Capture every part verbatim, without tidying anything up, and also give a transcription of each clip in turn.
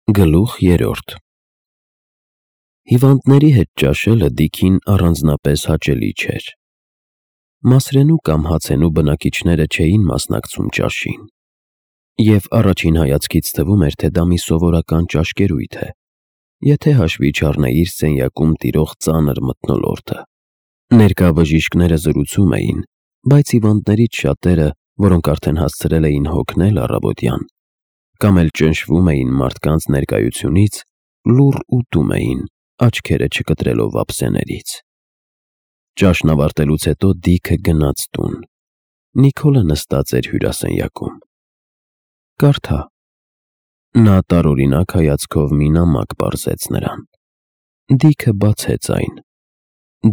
Գլուխ երրորդ Հիվանդների հետ ճաշելը Դիքին առանձնապես հաճելի չէր։ Մասրենու կամ հացենու բնակիչները չէին մասնակցում ճաշին, և առաջին հայացքից թվում էր, թե դա մի սովորական ճաշկերույթ է, եթե հաշվի չառնեիր սենյակում տիրող ծանր մթնոլորտը։ Ներկա բժիշկները զրուցում էին, բայց հիվանդներից շատերը, որոնք արդեն հասցրել էին հոգնել առավոտյան, կամ էլ ճնշվում էին մարդկանց ներկայությունից, լուռ ուտում էին, աչքերը չկտրելով ափսեներից։ Ճաշն ավարտելուց հետո Դիքը գնաց տուն։ Նիկոլը նստած էր հյուրասենյակում։ «Կարդա»։ Նա տարօրինակ հայացքով մի նամակ պարզեց նրան։ Դիքը բացեց այն։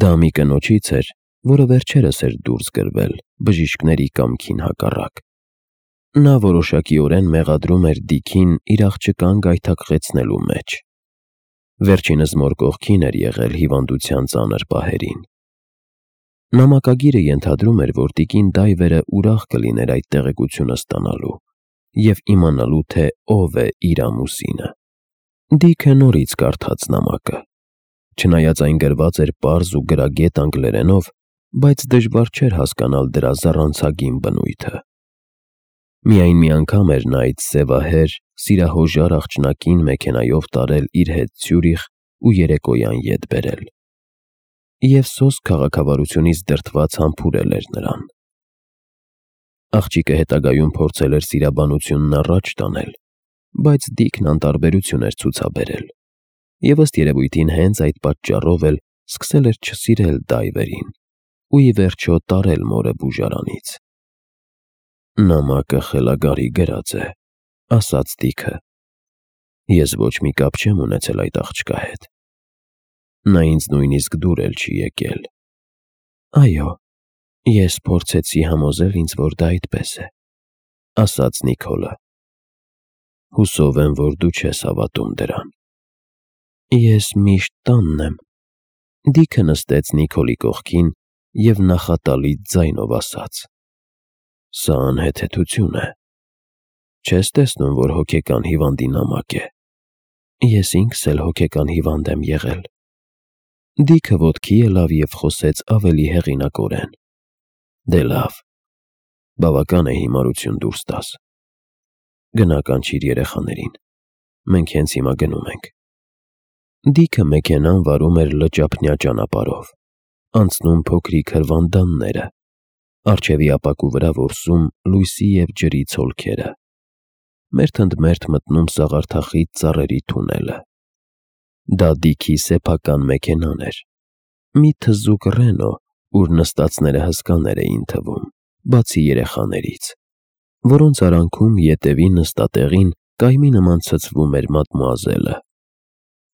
Դա մի կնոջից էր, որը վերջերս էր դուրս գրվել, բժիշկների կամքին հակառակ։ Նա որոշակիորեն մեղադրում էր Դիքին իր աղջկան գայթակղեցնելու մեջ։ Վերջինս մոր կողքին էր եղել հիվանդության ծանր պահերին։ Նամակագիրը ենթադրում էր, որ տիկին Դայվերը ուրախ կլիներ այդ տեղեկությունը ստանալու և իմանալու, թե ով է իր ամուսինը։ Դիքը նորից կարդաց նամակը։ Չնայած այն գրված էր պարզ ու գրագետ անգլերենով, բայց դժվար չէր հասկանալ դրա զառանցագին բնույթը։ Միայն մի անգամ էր նա այդ սևահեր, սիրահոժար աղջնակին մեքենայով տարել իր հետ Ցյուրիխ ու երեկոյան ետ բերել։ Եվ սոսկ քաղաքավարությունից դրդված համբուրել էր նրան։ Աղջիկը հետագայում փորձել էր սիրաբանությունն առաջ տանել, բայց Դիքն անտարբերություն էր ցուցաբերել, և ըստ երևույթին հենց այդ պատճառով էլ սկսել էր չսիրել Դայվերին ու ի վերջո տարել մորը բուժարանից։ «Նամակը խելագարի գրած է», ասաց Դիքը։ «Ես ոչ մի կապ չեմ ունեցել այդ աղջկա հետ։ Նա ինձ նույնիսկ դուր էլ չի եկել»։ «Այո, ես փորձեցի համոզել ինձ, որ դա այդպես է», ասաց Նիկոլը։ «Հուսով եմ, որ դու չես հավատում դրան»։ «Ես միշտ տանն եմ», Դիքը նստեց Նիկոլի կողքին և նախատալի ձայնով ասաց։ «Սա անհեթեթություն է։ Չես տեսնում, որ հոգեկան հիվանդի նամակ է։ Ես ինքս էլ հոգեկան հիվանդ եմ եղել»։ Դիքը ոտքի ելավ և խոսեց ավելի հեղինակորեն։ «Դե լավ, բավական է հիմարություն դուրս տաս։ Գնա կանչիր երեխաներին, մենք հենց հիմա գնում ենք»։ Դիքը մեքենան վարում էր լճափնյա ճանապարհով, անցնում փոքրիկ հրվանդանները, առջևի ապակու վրա որսում լույսի և ջրի ցոլքերը, մերթ ընդ մերթ մտնում սաղարթախիտ ծառերի թունելը։ Դա Դիքի սեփական մեքենան էր, մի թզուկ Ռենո, ուր նստածները հսկաներ էին թվում, բացի երեխաներից, որոնց արանքում ետևի նստատեղին կայմի նման ցցվում էր մադմուազելը։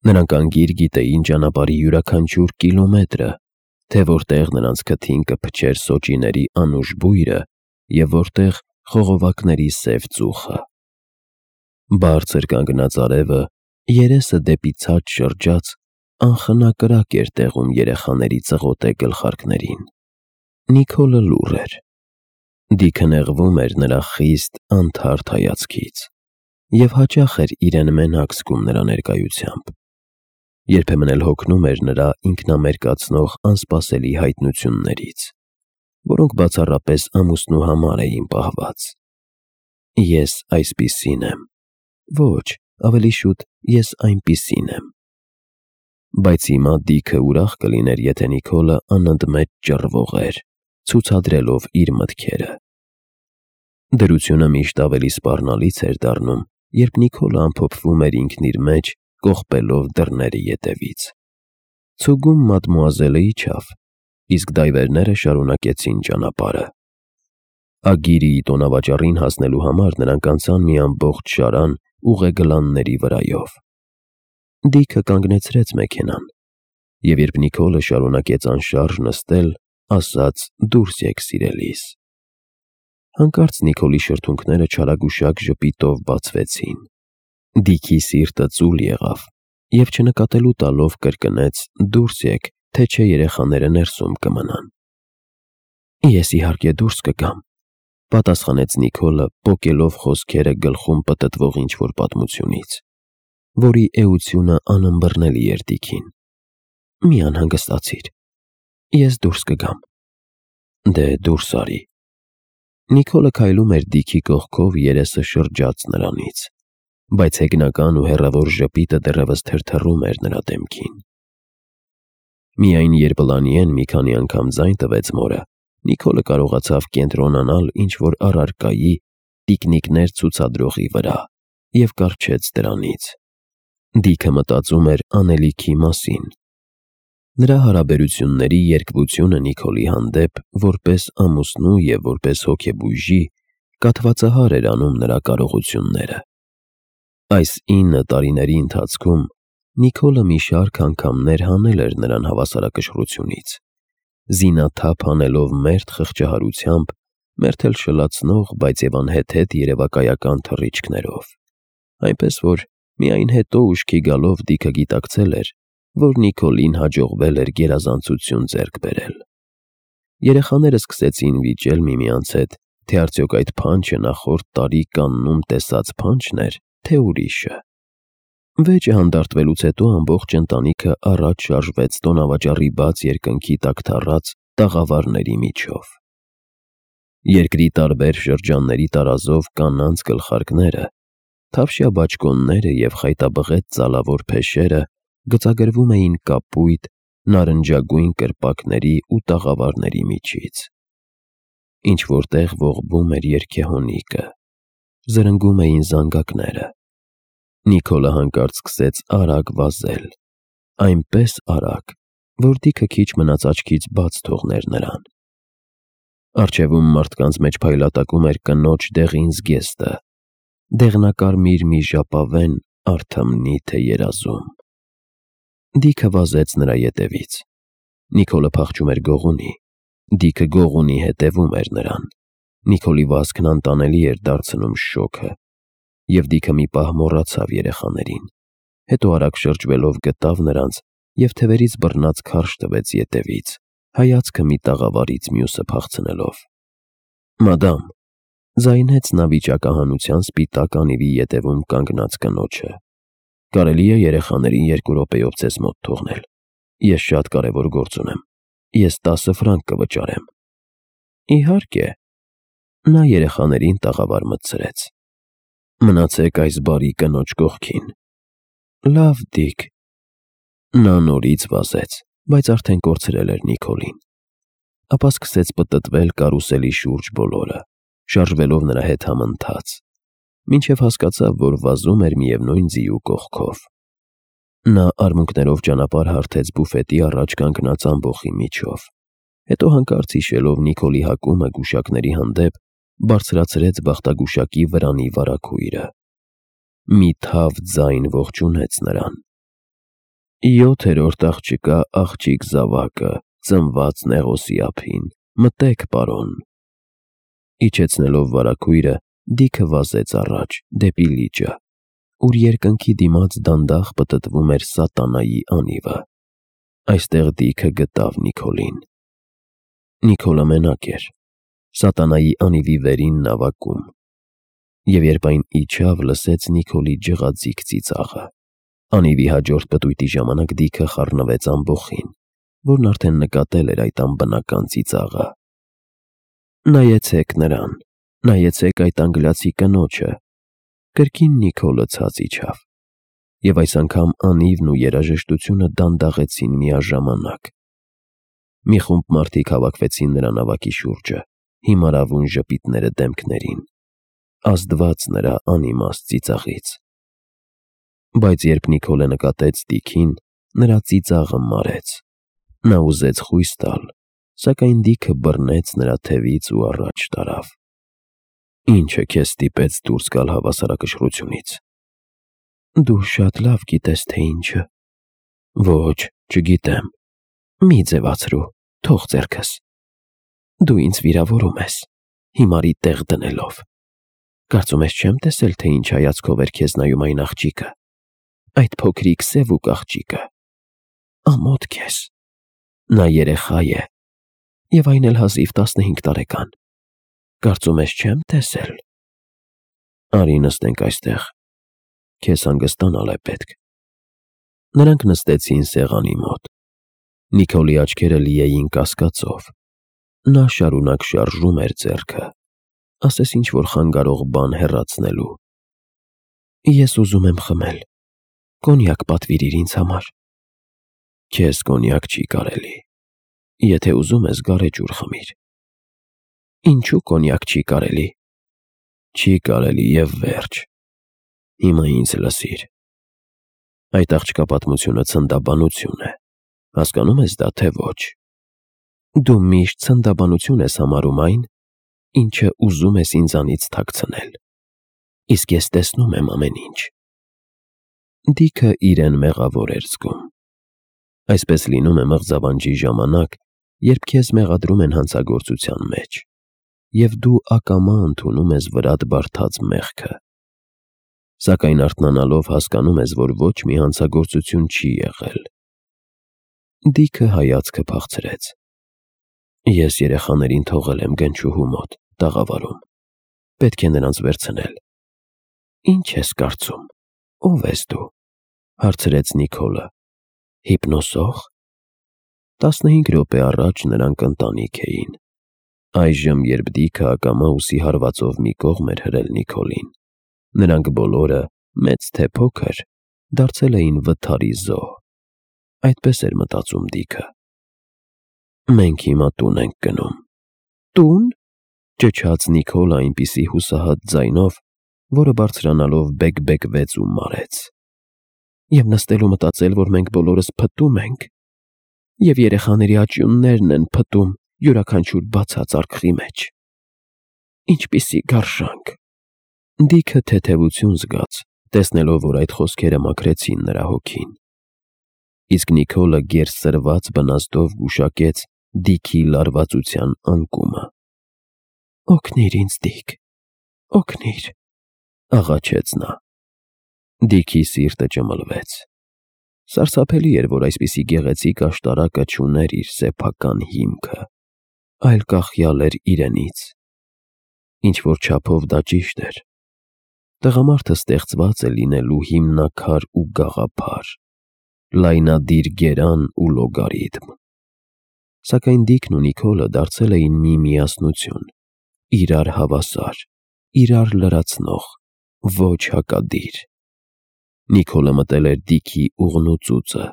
Նրանք անգիր գիտեին ճանապարհի յուրաքանչյուր կիլոմետրը, թե որտեղ նրանց քթին կփչեր սոճիների անուշ բույրը և որտեղ խողովակների սև ծուխը։ Բարձր կանգնած արևը, երեսը դեպի ցած շրջած, անխնա կրակ էր տեղում երեխաների ծղոտե գլխարկներին։ Նիկոլը լուռ էր։ Դիքը նեղվում էր նրա խիստ, անթարթ հայացքից և հաճախ էր իրեն մենակ զգում նրա ներկայությամբ։ Երբեմն էլ հոգնում էր նրա ինքնամերկացնող անսպասելի հայտնություններից, որոնք բացառապես ամուսնու համար էին պահված։ «Ես այսպիսին եմ», ոչ, ավելի շուտ «ես այնպիսին եմ»։ Բայց հիմա Դիքը ուրախ կլիներ, եթե Նիկոլը անընդմեջ ճռվողեր, ցուցադրելով իր մտքերը։ Դրությունը միշտ ավելի սպառնալից էր դառնում, երբ Նիկոլը ամփոփվում էր ինքն իր մեջ, կողպելով դռների ետևից։ Ցուգում մադմուազելը իջավ, իսկ դայվերները շարունակեցին ճանապարհը։ Ագիրիի տոնավաճառին հասնելու համար նրանք անցան մի ամբողջ շարան ուղեգլանների վրայով։ Դիքը կանգնեցրեց մեքենան, և երբ Նիկոլը շարունակեց անշարժ նստել, ասաց. «Դուրս եկ, սիրելիս»։ Հանկարծ Նիկոլի շրթունքները չարագուշակ ժպիտով բացվեցին։ Դիքի սիրտը ծուլ եղավ, և չնկատելու տալով կրկնեց. «Դուրս եկ, թե չէ երեխաները ներսում կմնան»։ «Ես իհարկե դուրս կգամ», պատասխանեց Նիկոլը, պոկելով խոսքերը գլխում պտտվող ինչ-որ պատմությունից։ որի էությունը անըմբռնելի էր Դիքին։ Մի անհանգստացիր, ես դուրս կգամ։ Դե դուրս արի։ Նիկոլը քայլում էր Դիքի կողքով, երեսը շրջած նրանից, բայց հեգնական ու հեռավոր ժպիտը դեռևս թրթռում էր նրա դեմքին։ Միայն երբ Լանիեն մի քանի անգամ ձայն տվեց մորը, Նիկոլը կարողացավ կենտրոնանալ ինչ-որ առարկայի տիկնիկներ ցուցադրողի վրա և կառչեց դրանից։ Դիքը մտածում էր անելիքի մասին։ Նրա հարաբերությունների երկվությունը Նիկոլի հանդեպ, որպես ամուսնու և որպես հոգեբույժի, կաթվածահար էր անում նրա կարողությունները։ Այս ինը տարիների ընթացքում Նիկոլը մի շարք անգամներ հանել էր նրան հավասարակշռությունից, զինաթափ անելով մերթ խղճահարությամբ, մերթ էլ շլացնող, բայց և անհեթեթ երևակայական թռիչքներով, այնպես որ միայն հետո ուշքի գալով Դիքը գիտակցել էր, որ Նիկոլին հաջողվել էր գերազանցություն ձեռք բերել։ Երեխաները սկսեցին վիճել միմյանց հետ, թե արդյոք այդ փանջը նախորդ տարի կաննում տեսած փանջն էր, թե ուրիշը։ Վեճը հանդարտվելուց հետո ամբողջ ընտանիքը առաջ շարժվեց տոնավաճառի բաց երկնքի տակ թառած տաղավարների միջով։ Երկրի տարբեր շրջանների տարազով կանանց գլխարկները, թավշյա բաճկոնները և խայտաբղետ ծալավոր փեշերը գծագրվում էին կապույտ, նարնջագույն կրպակների ու տաղավարների միջից։ Ինչ-որտեղ ողբում էր երգեհոնիկը, զրնգում էին զանգակները։ Նիկոլը հանկարծ սկսեց արագ վազել, այնպես արագ, որ Դիքը քիչ մնաց աչքից բաց թողներ նրան։ Առջևում մարդկանց մեջ փայլատակում էր կնոջ դեղին զգեստը, դեղնակարմիր մի ժապավեն արթմնի թե երազում։ Դիքը վազեց նրա ետևից։ Նիկոլը փախչում էր գողունի, Դիքը գողունի հետևում էր նրան։ Նիկոլի վազքն անտանելի էր դարձնում շոգը, և Դիքը մի պահ մոռացավ երեխաներին, հետո արագ շրջվելով գտավ նրանց և թևերից բռնած քարշ տվեց ետևից, հայացքը մի տաղավարից մյուսը փախցնելով։ Մադամ, ձայնեց նա վիճակահանության սպիտակ անիվի ետևում կանգնած կնոջը, կարելի է երեխաներին երկու րոպեով ձեզ մոտ թողնել, ես շատ կարևոր գործ ունեմ, ես տասը ֆրանկ կվճարեմ։ Իհարկե։ Նա երեխաներին տաղավար մտցրեց։ Մնացեք այս բարի կնոջ կողքին։ Լավ, Դիք։ Նա նորից վազեց, բայց արդեն կորցրել էր Նիկոլին։ Ապա սկսեց պտտվել կարուսելի շուրջ բոլորը, շարժվելով նրա հետ համընթաց, մինչև հասկացավ, որ վազում էր միևնույն ձիու կողքով։ Նա արմունկներով ճանապարհ հարթեց բուֆետի առաջ կանգնած ամբոխի միջով, հետո հանկարծ հիշելով Նիկոլի հակումը գուշակների հանդեպ, բարձրացրեց բախտագուշակի վրանի վարագույրը։ Մի թավ ձայն ողջունեց նրան։ Յոթերորդ աղջկա աղջիկ զավակը, ծնված Նեղոսի ափին, մտեք, պարոն։ Իջեցնելով վարագույրը, Դիքը վազեց առաջ, դեպի լիճը, ուր երկնքի դիմաց դանդաղ պտտվում էր սատանայի անիվը։ Այստեղ Դիքը գտավ Նիկոլին։ Նիկոլը մենակ էր, սատանայի անիվի վերին նավակում, և երբ այն իջավ, լսեց Նիկոլի ջղաձիգ ծիծաղը։ Անիվի հաջորդ պտույտի ժամանակ Դիքը խառնվեց ամբոխին, որն արդեն նկատել էր այդ անբնական ծիծաղը։ Նայեցեք նրան, նայեցեք այդ անգլիացի կնոջը։ Կրկին Նիկոլը ցած իջավ, և այս անգամ անիվն ու երաժշտությունը դանդաղեցին միաժամանակ։ Մի խումբ մարդիկ հավաքվեցին նրա նավակի շուրջը, հիմարավուն ժպիտները դեմքներին, ազդված նրա անիմաստ ծիծաղից։ Բայց երբ Նիկոլը նկատեց Դիքին, նրա ծիծաղը մարեց։ Նա ուզեց խույս տալ, սակայն Դիքը բռնեց նրա թևից ու առաջ տարավ։ Ի՞նչը քեզ ստիպեց դուրս գալ հավասարակշռությունից։ Դու շատ լավ գիտես, թե ինչը։ Ոչ, չգիտեմ։ Մի ձևացրու, թող ձեռքս։ Դու ինձ վիրավորում ես, հիմարի տեղ դնելով։ Կարծում ես չեմ տեսել, թե ինչ հայացքով էր քեզ նայում այն աղջիկը, այդ փոքրիկ սևուկ աղջիկը։ Ամոթ քեզ։ Նա երեխա է, և այն էլ հազիվ տասնհինգ տարեկան։ Կարծում ես չեմ տեսել։ Արի նստենք այստեղ։ Քեզ հանգստանալ է պետք։ Նրանք նստեցին սեղանի մոտ։ Նիկոլի աչքերը լի էին կասկածով։ Նա շարունակ շարժում էր ձեռքը, ասես ինչ-որ խանգարող բան հեռացնելու։ Ես ուզում եմ խմել։ Կոնյակ պատվիրիր ինձ համար։ Քեզ կոնյակ չի կարելի։ Եթե ուզում ես, գարեջուր խմիր։ Ինչու կոնյակ չի կարելի։ Չի կարելի և վերջ։ Հիմա ինձ լսիր։ Այդ աղջկա պատմությունը ցնդաբանություն է։ Հասկանում ես դա, թե ոչ։ Դու միշտ ցնդաբանություն ես համարում այն, ինչը ուզում ես ինձանից թաքցնել։ Իսկ ես տեսնում եմ ամեն ինչ։ Դիքը իրեն մեղավոր էր զգում։ Այսպես լինում է մղձավանջի ժամանակ, երբ քեզ մեղադրում են հանցագործության մեջ, և դու ակամա ընդունում ես վրադ բարդած մեղքը։ Սակայն արթնանալով հասկանում ես, որ ոչ մի հանցագործություն չի եղել։ Դիքը հայացքը փախցրեց։ Ես երեխաներին թողել եմ գնչուհու մոտ, տաղավարում։ Պետք է նրանց վերցնել։ Ինչ ես կարծում, ով ես դու, հարցրեց Նիկոլը։ Հիպնոսող։ Տասնհինգ րոպե առաջ նրանք ընտանիք էին։ Այժմ, երբ Դիքը ակամա ուսի հարվածով մի կողմ էր հրել Նիկոլին, նրանք բոլորը, մեծ թե փոքր, դարձել էին վթարի զոհ։ Այդպես էր մտածում Դիքը։ Մենք հիմա տուն ենք գնում։ Տուն։ Ճչաց Նիկոլը այնպիսի հուսահատ ձայնով, որը բարձրանալով բեկ-բեկվեց ու մարեց։ Եվ նստել ու մտածել, որ մենք բոլորս փտում ենք, և երեխաների աճյուններն են փտում յուրաքանչյուր բացած արկղի մեջ։ Ինչպիսի գարշանք։ Դիքը թեթևություն զգաց, տեսնելով, որ այդ խոսքերը մաքրեցին նրա հոգին։ Իսկ Նիկոլը գերսրված բնաստով գուշակեց Դիքի լարվածության անկումը։ Օգնիր ինձ, Դիք, օգնիր, աղաչեց նա։ Դիքի սիրտը ճմլվեց։ Սարսափելի էր, որ այսպիսի գեղեցիկ աշտարակը չուներ իր սեփական հիմքը, այլ կախյալ էր իրենից։ Ինչ-որ չափով դա ճիշտ էր։ Տղամարդը ստեղծված է լինելու հիմնաքար ու գաղափար, լայնադիր գերան ու լոգարիթմ։ Սակայն Դիքն ու Նիկոլը դարձել էին մի միասնություն, իրար հավասար, իրար լրացնող, ոչ հակադիր։ Նիկոլը մտել էր Դիքի ուղն ու ծուծը։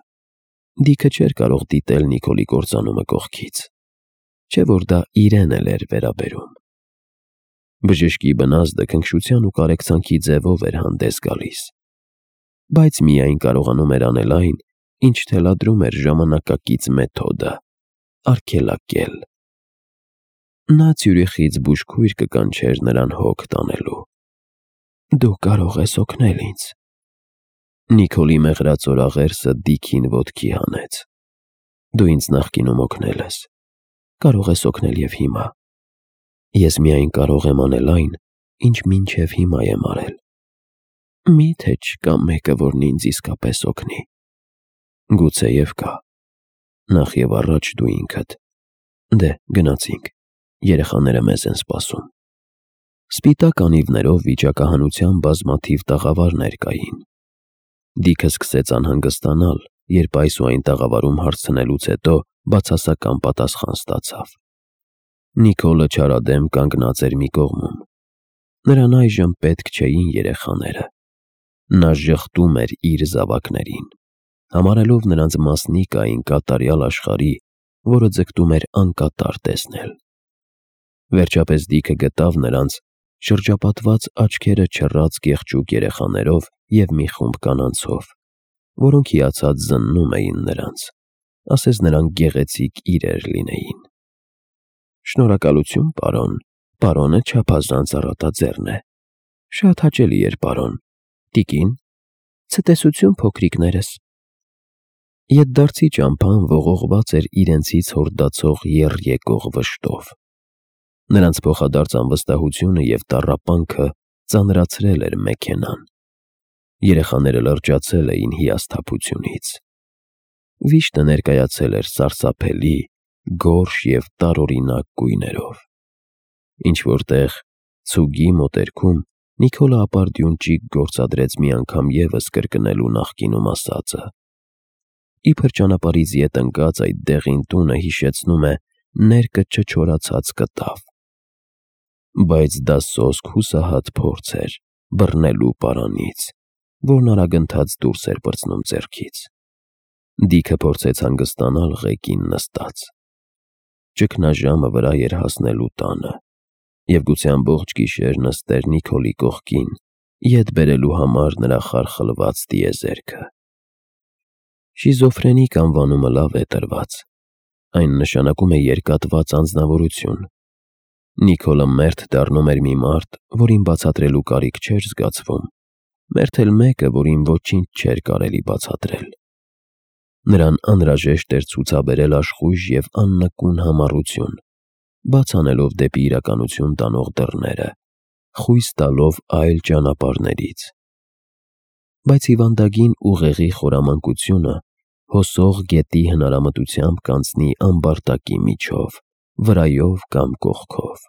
Դիքը չէր կարող դիտել Նիկոլի կործանումը կողքից, չէ որ դա իրեն էլ էր վերաբերում։ Բժշկի բնազդը քնքշության ու կարեկցանքի ձևով էր հանդես գալիս, բայց միայն կարողանում էր անել այն, ինչ թելադրում էր ժամանակակից մեթոդը՝ արգելակել։ Նա Ցյուրիխից բուժքույր կկանչեր նրան հոգ տանելու։ Դու կարող ես օգնել ինձ։ Նիկոլի մեղրած օրաղերսը Դիքին ոտքի հանեց։ Դու ինձ նախկինում օգնել ես, կարող ես օգնել և հիմա։ Ես միայն կարող եմ անել այն, ինչ մինչև հիմա եմ արել։ Մի՞թե չկա մեկը, որն ինձ իսկապես օգնի։ Գուցեև կա։ Նախ և առաջ դու ինքդ։ Դե, գնացինք, երեխաները մեզ են սպասում։ Սպիտակ անիվներով վիճակահանության բազմաթիվ տաղավարներ կային։ Դիքը սկսեց անհանգստանալ, երբ այս ու այն տաղավարում հարցնելուց հետո բացասական պատասխան ստացավ։ Նիկոլը չարադեմ կանգնած էր մի կողմում։ Նրան այժմ պետք չէին երեխաները։ Նա ժխտում էր իր զավակներին, համարելով նրանց մասնիկ այն կատարյալ աշխարհի, որը ձգտում էր անկատար տեսնել։ Վերջապես Դիքը գտավ նրանց շրջապատված աչքերը չռած կեղճուկ երեխաներով և մի խումբ կանանցով, որոնք հիացած զննում էին նրանց, ասես նրանք գեղեցիկ իրեր լինեին։ Շնորհակալություն, պարոն, պարոնը չափազանց առատաձեռն է։ Շատ հաճելի էր, պարոն։ Տիկին, ցտեսություն փոքրիկներս։ Ետդարձի ճամփան ողողված էր իրենցից հորդացող եռ-եկող վշտով։ Նրանց փոխադարձ անվստահությունը և տառապանքը ծանրացրել էր մեքենան։ Երեխաները լրջացել էին հիասթափությունից։ Վիշտը ներկայացել էր սարսափելի, գորշ և տարօրինակ գույներով։ Ինչ-որ տեղ, ցուգի մոտերքում, Նիկոլը ապարդյուն ճիգ գործադրեց մի անգամ ևս կրկնելու նախկինում ասածը։ Իբր ճանապարհից ետ ընկած այդ դեղին տունը հիշեցնում է ներկը չչորացած կտավ։ Բայց դա սոսկ հուսահատ փորձ էր բռնելու պարանից, որն արագընթաց դուրս էր պրծնում ձեռքից։ Դիքը փորձեց հանգստանալ ղեկին նստած։ Ճգնաժամը վրա էր հասնելու տանը, և գուցե ամբողջ գիշեր նստեր Նիկոլի կողքին, ետ բերելու համար նրա խարխլված տիեզերքը։ Շիզոֆրենիկ անվանումը լավ է տրված։ Այն նշանակում է երկատված անձնավորություն։ Նիկոլը մերթ դառնում էր մի մարդ, որին բացատրելու կարիք չէր զգացվում, մերթ էլ մեկը, որին ոչինչ չէր կարելի բացատրել։ Նրան անհրաժեշտ էր ցուցաբերել աշխույժ և աննկուն համառություն, բաց անելով դեպի իրականություն տանող դռները, խույս տալով այլ ճանապարհներից։ Բայց հիվանդագին ուղեղի խորամանկությունը հոսող գետի հնարամտությամբ կանցնի ամբարտակի միջով, վրայով կամ կողքով։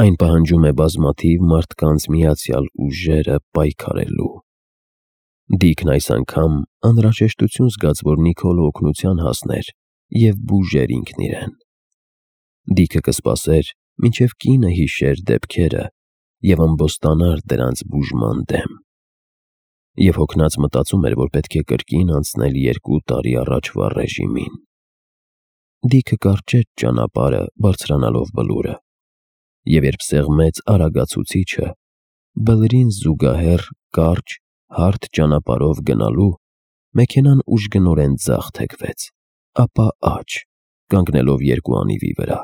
Այն պահանջում է բազմաթիվ մարդկանց միացյալ ուժերը պայքարելու։ Դիքն այս անգամ անհրաժեշտություն զգաց, որ Նիկոլը օգնության հասներ և բուժեր ինքն իրեն։ Դիքը կսպասեր, մինչև կինը հիշեր դեպքերը և ամբոստանար դրանց բուժման դեմ։ Եվ հոգնած մտածում էր, որ պետք է կրկին անցնել երկու տարի առաջվա ռեժիմին։ Դիքը կարճեց ճանապարհը բարձրանալով բլուրը, և երբ սեղմեց արագացուցիչը, բլրին զուգահեռ կարճ, հարթ ճանապարհով գնալու, մեքենան ուժգնորեն ձախ թեքվեց, ապա աջ, կանգնելով երկու անիվի վրա։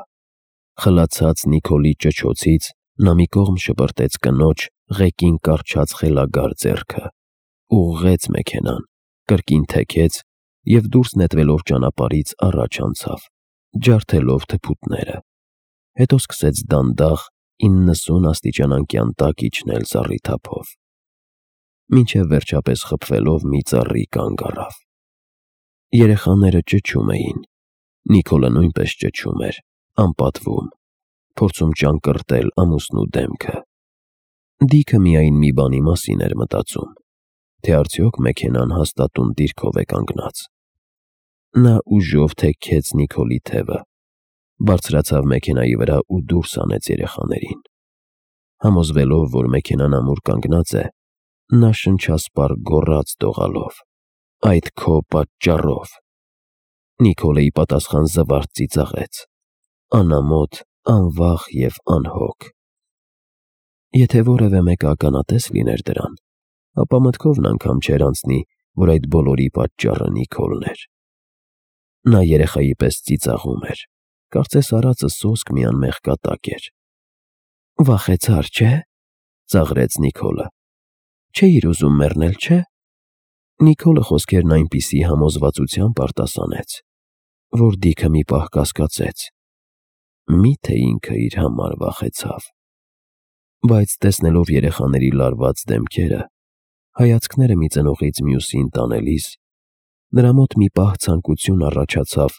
Խլացած Նիկոլի ճչոցից նա մի կողմ շպրտեց կնոջ ղեկին կառչած խելագար ձեռքը, ուղղեց մեքենան, կրկին թեքեց և դուրս նետվելով ճանապարհից առաջ անցավ, ջարդելով թփուտները, հետո սկսեց դանդաղ իննսուն աստիճան տակ իջնել զառիթափով, մինչև վերջապես խփվելով մի ծառի կանգ առավ։ Երեխաները ճչում էին, Նիկոլը նույնպես ճչում էր, անպատվում, փորձում ճանկռտել ամուսնու դեմքը։ Դիքը միայն մի բանի մասին էր մտածում, թե արդյոք մեքենան հաստատուն դիրքով է կանգնած։ Նա ուժով թեքեց Նիկոլի թևը, բարձրացավ մեքենայի վրա ու դուրս հանեց երեխաներին։ Համոզվելով, որ մեքենան ամուր կանգնած է, նա շնչասպառ գոռաց դողալով. «Այդ քո պատճառով»։ Նիկոլը ի պատասխան զվարթ ծիծաղեց, անամոթ, անվախ և անհոգ։ Եթե որևէ մեկը ականատես լիներ դրան, ապա մտքովն անգամ չէր անցնի, որ այդ բոլորի պատճառը Նիկոլն էր։ Նա երեխայի պես ծիծաղում էր, կարծես արածը սոսկ մի անմեղ կատակ էր։ «Վախեցար, չէ՞, ծաղրեց Նիկոլը։ Չէիր ուզում մեռնել, չէ՞։ Նիկոլը խոսքերն այնպիսի համոզվածությամբ արտասանեց, որ Դիքը մի պահ կասկածեց. միթե ինքը իր համար վախեցավ։ Բայց տեսնելով երեխաների լարված դեմքերը, հայացքները մի ծնողից մյուսին տանելիս, նրա մոտ մի պահ ցանկություն առաջացավ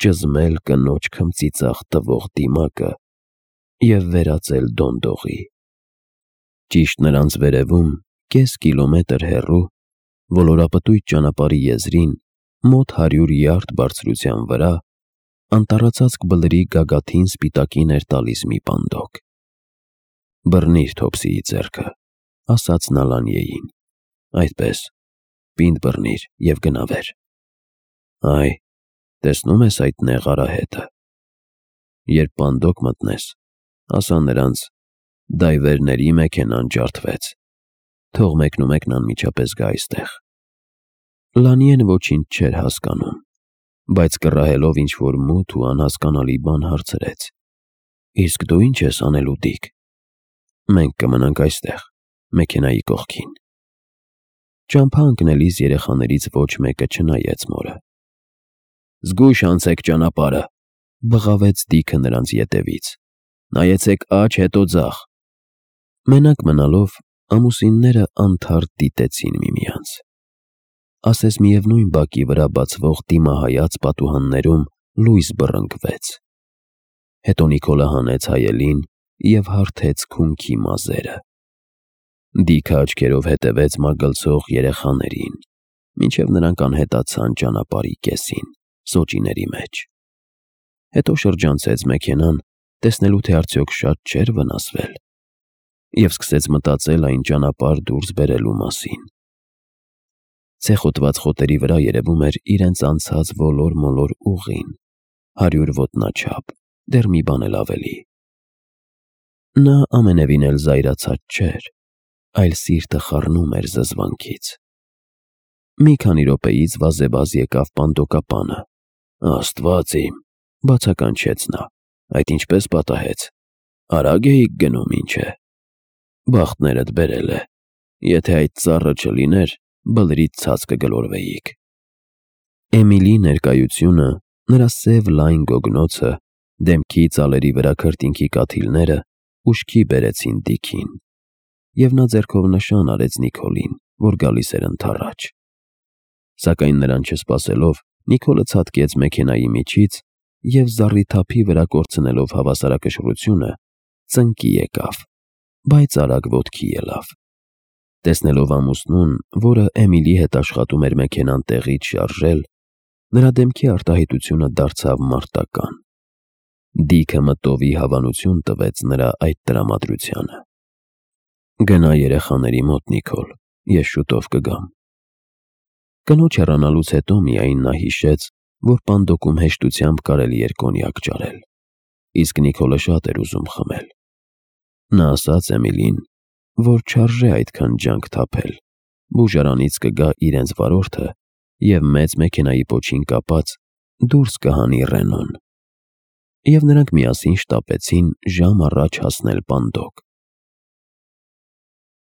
ճզմել կնոջ քմծիծաղ տվող դիմակը և վերածել դոնդողի։ Ճիշտ նրանց վերևում, կես կիլոմետր հեռու, ոլորապտույտ ճանապարհի եզրին, մոտ հարյուր յարդ բարձրության վրա, անտառածածկ բլրի գագաթին սպիտակին էր տալիս մի պանդոկ։ «Բռնիր Թոփսիի ձեռքը», ասաց նա Լանիեին, «այդպես, պինդ բռնիր և գնա վեր։ Այ, տեսնո՞ւմ ես այդ նեղ արահետը։ Երբ պանդոկ մտնես, ասա նրանց. «Դայվերների մեքենան ջարդվեց, թող մեկնումեկն անմիջապես գա այստեղ»։ Լանիեն ոչինչ չէր հասկանում, բայց կռահելով ինչ-որ մութ ու անհասկանալի բան հարցրեց. «Իսկ դու ի՞նչ ես անելու, Դիք»։ «Մենք կմնանք այստեղ, մեքենայի կողքին»։ Ճամփա ընկնելիս երեխաներից ոչ մեկը չնայեց մորը։ «Զգույշ անցեք ճանապարհը», բղավեց Դիքը նրանց ետևից։ «Նայեցեք աջ, հետո ձախ»։ Մենակ մնալով, ամուսինները անթարթ դիտեցին միմյանց։ Ասես միևնույն բակի վրա բացվող դիմահայաց պատուհաններում լույս բռնկվեց։ Հետո Նիկոլը հանեց հայելին և հարթեց քունքի մազերը։ Դիքը աչքերով հետևեց մագլցող երեխաներին, մինչև նրանք անհետացան ճանապարհի կեսին, սոճիների մեջ։ Հետո շրջանցեց մեքենան, տեսնելու թե արդյոք շատ չէր վնասվել, և սկսեց մտածել այն ճանապարհ դուրս բերելու մասին։ Ցեխոտված խոտերի վրա երևում էր իրենց անցած ոլոր-մոլոր ուղին, հարյուր ոտնաչափ, դեռ մի բան էլ ավելի։ Նա ամենևին էլ զայրացած չէր, այլ սիրտը խառնում էր զզվանքից։ Մի քանի րոպեից վազեվազ եկավ պանդոկապանը։ «Աստված իմ», բացականչեց նա, «այդ ինչպես պատահեց, արագ էիք գնում, ինչ է»։ «Բախտներդ բերել է, եթե այդ ծառը չլիներ, բլրից ցած կգլորվեիք»։ Էմիլի ներկայությունը, նրա սև լայն գոգնոցը, դեմքի ծալերի վրա քրտինքի կաթիլները ուշքի բերեցին Դիքին, և նա ձեռքով նշան արեց Նիկոլին, որ գալիս էր ընդառաջ։ Սակայն նրան չսպասելով, Նիկոլը ցատկեց մեքենայի միջից և, զառիթափի վրա կորցնելով հավասարակշռությունը, ծնկի եկավ, բայց արագ ոտքի ելավ։ Տեսնելով ամուսնուն, որը Էմիլի հետ աշխատում էր մեքենան տեղից շարժել, նրա դեմքի արտահայտությունը դարձավ մարտական։ Դիքը մտովի հավանություն տվեց նրա այդ տրամադրությանը։ «Գնա երեխաների մոտ, Նիկոլ, ես շուտով կգամ»։ Կնոջ հեռանալուց հետո միայն նա հիշեց, որ պանդոկում հեշտությամբ կարելի էր կոնյակ ճարել, իսկ Նիկոլը շատ էր ուզում խմել։ Նա ասաց Էմիլին, որ չարժե այդքան ջանք թափել, բուժարանից կգա իրենց վարորդը և մեծ մեքենայի պոչին կապած դուրս կհանի Ռենոն։ Եվ նրանք միասին շտապեցին ժամ առաջ հասնել պանդոկ։